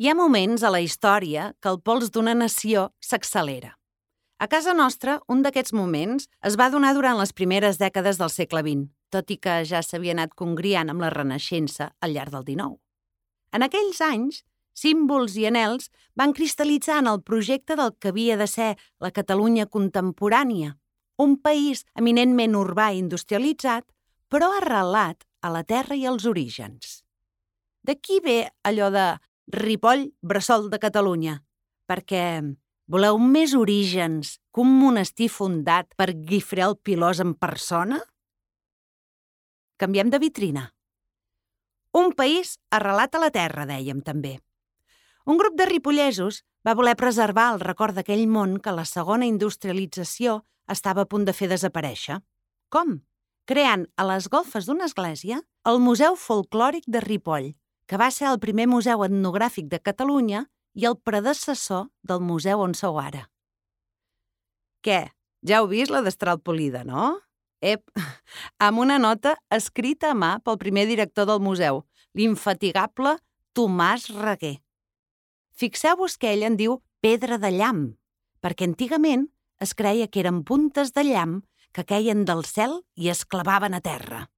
Hi ha moments a la història que el pols d'una nació s'accelera. A casa nostra, un d'aquests moments es va donar durant les primeres dècades del segle XX, tot i que ja s'havia anat congriant amb la Renaixença al llarg del XIX. En aquells anys, símbols i anhels van cristal·litzar en el projecte del que havia de ser la Catalunya contemporània, un país eminentment urbà i industrialitzat, però arrelat a la terra i als orígens. D'aquí ve allò de Ripoll, bressol de Catalunya, perquè voleu més orígens que un monestir fundat per Guifré el Pilós en persona? Canviem de vitrina. Un país arrelat a la terra, dèiem també. Un grup de ripollesos va voler preservar el record d'aquell món que la segona industrialització estava a punt de fer desaparèixer. Com? Creant a les golfes d'una església el Museu Folclòric de Ripoll, que va ser el primer museu etnogràfic de Catalunya i el predecessor del museu on sou ara. Què? Ja heu vist la destral polida, no? Amb una nota escrita a mà pel primer director del museu, l'infatigable Tomàs Reguer. Fixeu-vos que ell en diu pedra de llamp, perquè antigament es creia que eren puntes de llamp que queien del cel i es clavaven a terra.